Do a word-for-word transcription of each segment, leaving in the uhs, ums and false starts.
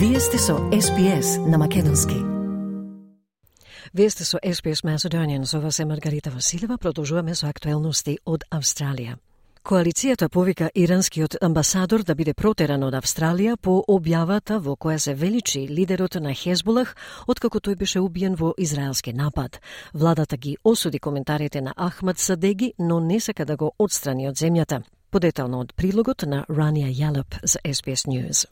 Вие сте со Ес Би Ес на македонски. Вие сте со Ес Би Ес Macedonian, со вас е Маргарита Василева, продолжуваме со актуелности од Австралија. Коалицијата повика иранскиот амбасадор да биде протеран од Австралија по објавата во која се величи лидерот на Хезболах откако тој беше убиен во израелски напад. Владата ги осуди коментарите на Ахмад Садеги, но не сака да го отстрани од земјата. Подетално од прилогот на Рания Ялеп за Ес Би Ес News.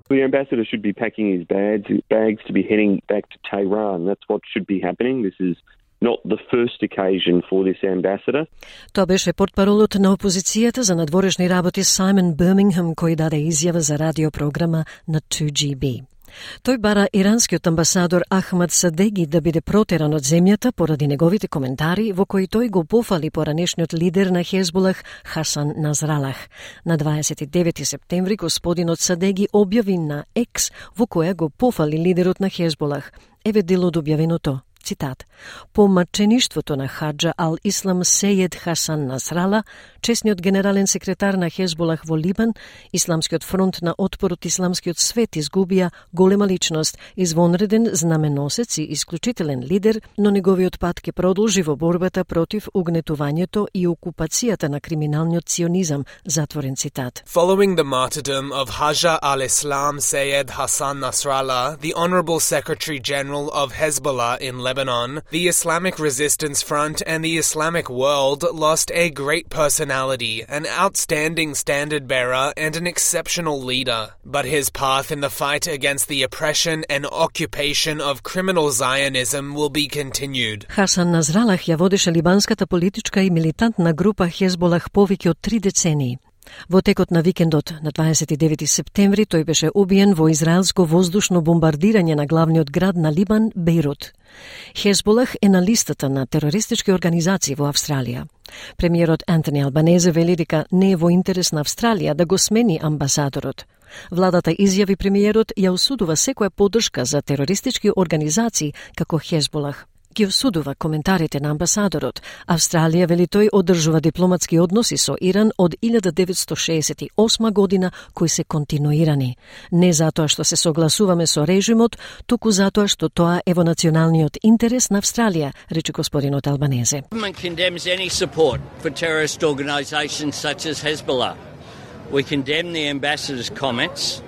The ambassador should be packing his bags, bags to be heading back to Tehran. That's what should be happening. This is not the first occasion for this ambassador. Тоа беше портпаролот на опозицијата за надворешни работи Саймон Бирмингем, кој даде изјава за радиопрограма на two G B. Тој бара иранскиот амбасадор Ахмад Садеги да биде протеран од земјата поради неговите коментари во кои тој го пофали поранешниот лидер на Хезболах Хасан Насралах. На дваесет и девети септември господинот Садеги објави на Екс во која го пофали лидерот на Хезболах. Еве дел од објавеното. Цитат: по мачеништвото на Хаджа ал-Ислам Сејед Хасан Насрала, чесниот генерален секретар на Хезболах во Либан, Исламскиот фронт на отпор од исламскиот свет изгубија голема личност, извонреден знаменосец и исклучителен лидер, но неговиот пат ќе продолжи во борбата против угнетувањето и окупацијата на криминалниот сионизам, затворен цитат. Following the martyrdom of Haja al-Islam Seyed Hassan Nasrallah, the Honorable Secretary General of Hezbollah in Lebanon, Lebanon, the Islamic Resistance Front and the Islamic world lost a great personality, an outstanding standard-bearer and an exceptional leader. But his path in the fight against the oppression and occupation of criminal Zionism will be continued. Хасан Насралах ја водеше либанската политичка и милитантна група Хезболах повеќе од три децении. Во текот на викендот на дваесет и девети септември тој беше убиен во израелско воздушно бомбардирање на главниот град на Либан, Бејрут. Хезболах е на листата на терористички организации во Австралија. Премиерот Антони Албанезе вели дека не е во интерес на Австралија да го смени амбасадорот. Владата изјави премиерот ја осудува секоја поддршка за терористички организации како Хезболах. Ги осудува коментарите на амбасадорот. Австралија, вели тој, одржува дипломатски односи со Иран од илјада деветстотини шеесет и осма година, кои се континуирани. Не затоа што се согласуваме со режимот, туку затоа што тоа е во националниот интерес на Австралија, рече господинот Албанезе. Government condemns any support for terrorist organizations such as Hezbollah. We condemn the ambassador's comments.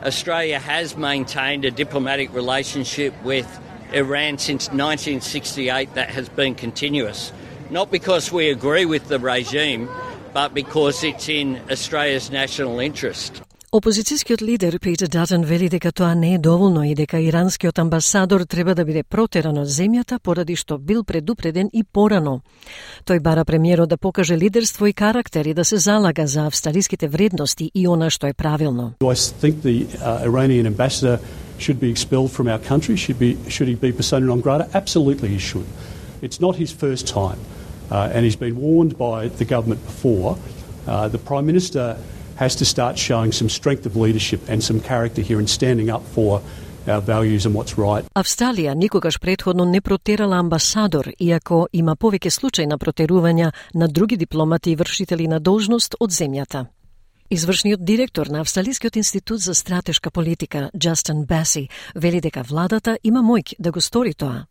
Australia has maintained a diplomatic relationship with Iran since nineteen sixty-eight that has been continuous, not because we agree with the regime, but because it's in Australia's national interest. Опозицијскиот лидер Питер Датон вели дека тоа не е доволно и дека иранскиот амбасадор треба да биде протеран од земјата поради што бил предупреден и порано. Тој бара премиерот да покаже лидерство и карактер и да се залага за австралиските вредности и она што е правилно. I think the uh, Iranian ambassador should be expelled from our country. Should be should he be persona non grata? Absolutely he should. It's not his first time, uh, and he's been warned by the government before. Uh, the Prime Minister has to start showing some strength of leadership and some character here and standing up for our values and what's right. Австралија никогаш претходно не протерала амбасадор, иако има повеќе случаи на протерувања на други дипломати и вршители на должност од земјата. Извршниот директор на Австралискиот институт за стратешка политика, Джастин Баси, вели дека владата има моќ да го стори тоа.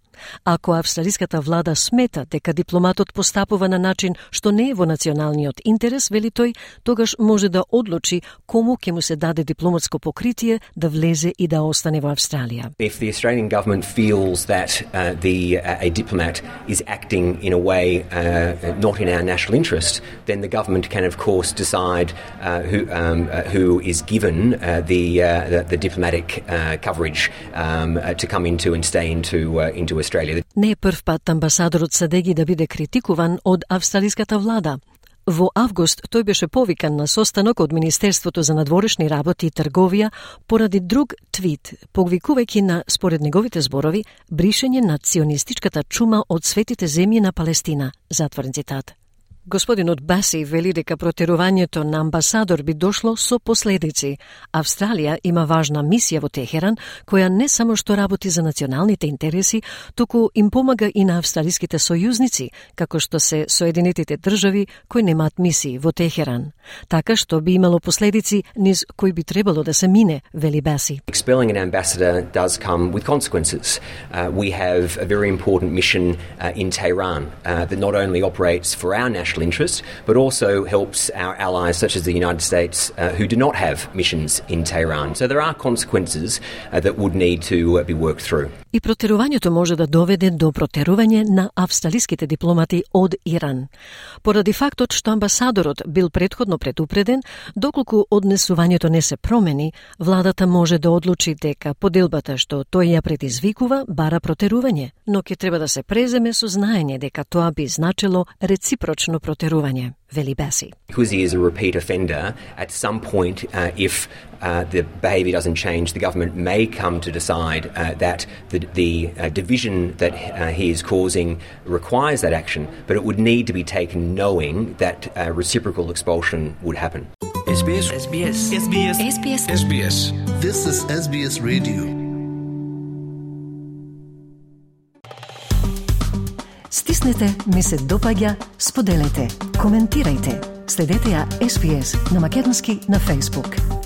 Ако австралиската влада смета дека дипломатот постапува на начин што не е во националниот интерес, вели тој, тогаш може да одлучи кому ќе му се даде дипломатско покритие да влезе и да остане во Австралија. If the Australian government feels that uh, the uh, a diplomat is acting in a way uh, not in our national interest, then the government can of course decide uh, who um, uh, who is given uh, the, uh, the the diplomatic uh, coverage um, uh, to come into and stay into uh, into Australia. Не е прв пат амбасадорот Садеги да биде критикуван од австралиската влада. Во август тој беше повикан на состанок од Министерството за надворешни работи и трговија поради друг твит, повикувајќи на, според неговите зборови, бришење на ционистичката чума од светите земји на Палестина, затворен цитат. Господинот Баси вели дека протерувањето на амбасадор би дошло со последици. Австралија има важна мисија во Техеран, која не само што работи за националните интереси, туку им помага и на австралиските сојузници, како што се Соединетите држави кои немаат мисии во Техеран. Така што би имало последици низ кои би требало да се мине, вели Баси. Expelling an ambassador does come with consequences. Uh, we have a very important mission uh, in Tehran uh, that not only operates for our national interest, but also helps our allies such as the United States uh, who do not have missions in Tehran. So there are consequences uh, that would need to uh, be worked through. И протерувањето може да доведе до протерување на австралиските дипломати од Иран. Поради фактот што амбасадорот бил претходно предупреден, доколку однесувањето не се промени, владата може да одлучи дека поделбата што тој ја предизвикува бара протерување, но ќе треба да се преземе со знаење дека тоа би значило реципрочно протерување, вели Баси. Because he is a repeat offender, at some point, uh, if uh, the behaviour doesn't change, the government may come to decide uh, that the, the uh, division that uh, he is causing requires that action, but it would need to be taken knowing that uh, reciprocal expulsion would happen. S B S. S B S. S B S. S B S. S B S. This is S B S Radio. Стиснете, ми се допаѓа, споделете, коментирајте. Следете ја С Б С на македонски на Facebook.